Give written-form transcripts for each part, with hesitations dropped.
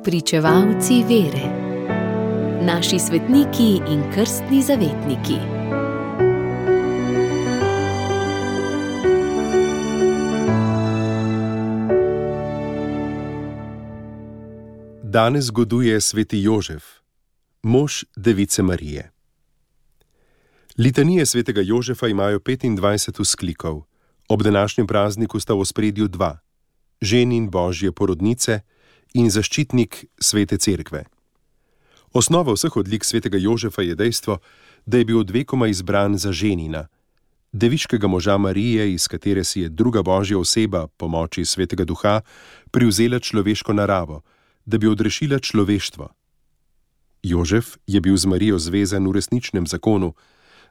Pričevalci vere. Naši svetniki in krstni zavetniki. Danes goduje sveti Jožef, mož Device Marije. Litanije svetega Jožefa imajo 25 vzklikov. Ob današnjem prazniku sta v ospredju dva: ženin Božje porodnice in zaščitnik svete cerkve. Osnova vseh odlik svetega Jožefa je dejstvo, da je bil od vekoma izbran za ženina, deviškega moža Marije, iz katere si je druga Božja oseba, po moči svetega duha, privzela človeško naravo, da bi odrešila človeštvo. Jožef je bil z Marijo zvezan v resničnem zakonu,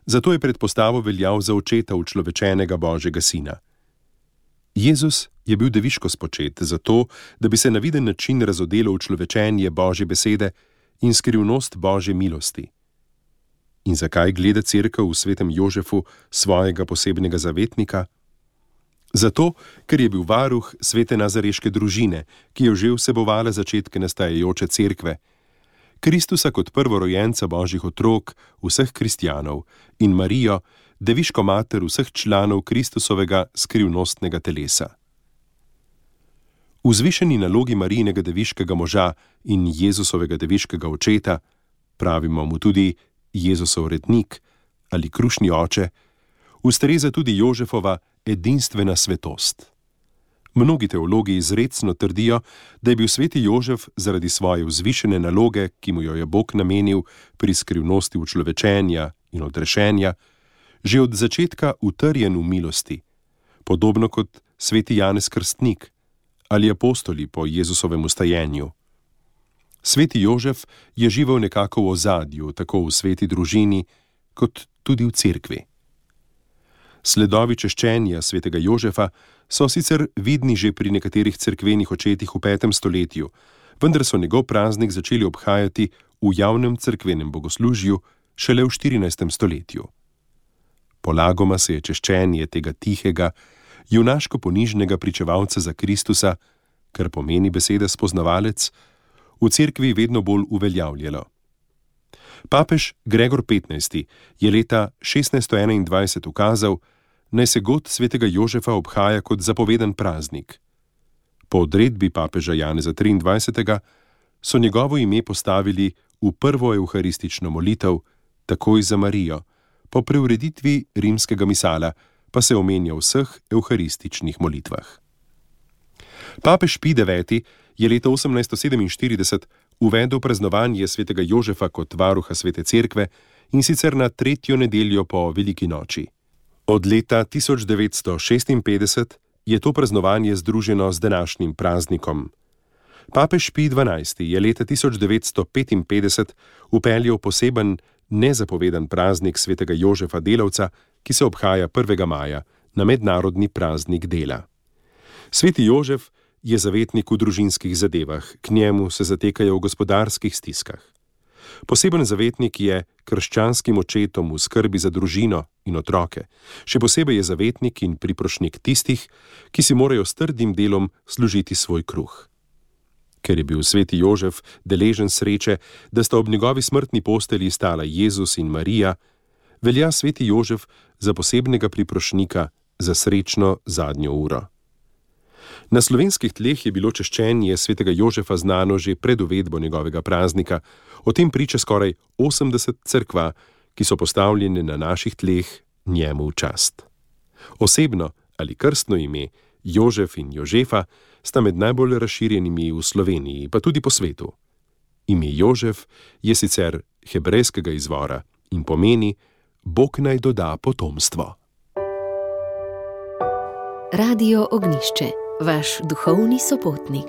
zato je pred postavo veljal za očeta učlovečenega Božjega sina. Jezus je bil deviško spočet, zato, da bi se na viden način razodelo učlovečenje Božje besede in skrivnost Božje milosti. In zakaj gleda cerkev v svetem Jožefu svojega posebnega zavetnika? Zato, ker je bil varuh svete nazareške družine, ki je že vsebovala začetke nastajajoče cerkve, Kristusa kot prvorojenca Božjih otrok, vseh kristjanov, in Marijo, deviško mater vseh članov Kristusovega skrivnostnega telesa. V vzvišeni nalogi Marijinega deviškega moža in Jezusovega deviškega očeta, pravimo mu tudi Jezusov rednik ali krušni oče, ustreza tudi Jožefova edinstvena svetost. Mnogi teologi izrecno trdijo, da je bil sveti Jožef zaradi svoje vzvišene naloge, ki mu jo je Bog namenil pri skrivnosti učlovečenja in odrešenja, že od začetka utrjen v milosti, podobno kot sveti Janez Krstnik ali apostoli po Jezusovem vstajenju. Sveti Jožef je živel nekako v ozadju, tako v sveti družini, kot tudi v cerkvi. Sledovi češčenja svetega Jožefa so sicer vidni že pri nekaterih cerkvenih očetih v 5. stoletju, vendar so njegov praznik začeli obhajati v javnem cerkvenem bogoslužju šele v 14. stoletju. Polagoma se je češčenje tega tihega, junaško ponižnega pričevalca za Kristusa, kar pomeni beseda spoznavalec, v cerkvi vedno bolj uveljavljalo. Papež Gregor XV. Je leta 1621 ukazal, naj se god svetega Jožefa obhaja kot zapovedan praznik. Po odredbi papeža Janeza 23. so njegovo ime postavili v prvo evharistično molitev, takoj za Marijo, po preureditvi rimskega misala pa se omenja v vseh evharističnih molitvah. Papež Pij IX. Je leta 1847 uvedel praznovanje svetega Jožefa kot varuha svete cerkve, in sicer na 3. nedeljo po veliki noči. Od leta 1956 je to praznovanje združeno z današnjim praznikom. Papež Pij XII. Je leta 1955 vpeljal poseben, nezapovedan praznik svetega Jožefa delavca, ki se obhaja 1. maja, na mednarodni praznik dela. Sveti Jožef je zavetnik v družinskih zadevah, k njemu se zatekajo v gospodarskih stiskah. Poseben zavetnik je krščanskim očetom v skrbi za družino in otroke, še posebej je zavetnik in priprošnik tistih, ki si morajo s trdim delom služiti svoj kruh. Ker je bil sveti Jožef deležen sreče, da sta ob njegovi smrtni postelji stala Jezus in Marija, velja sveti Jožef za posebnega priprošnika za srečno zadnjo uro. Na slovenskih tleh je bilo češčenje svetega Jožefa znano že pred uvedbo njegovega praznika, o tem priča skoraj 80 cerkva, ki so postavljene na naših tleh njemu v čast. Osebno ali krstno ime Jožef in Jožefa sta med najbolj razširjenimi v Sloveniji, pa tudi po svetu. Ime Jožef je sicer hebrejskega izvora in pomeni Bog naj doda potomstvo. Radio Ognjišče, vaš duhovni sopotnik.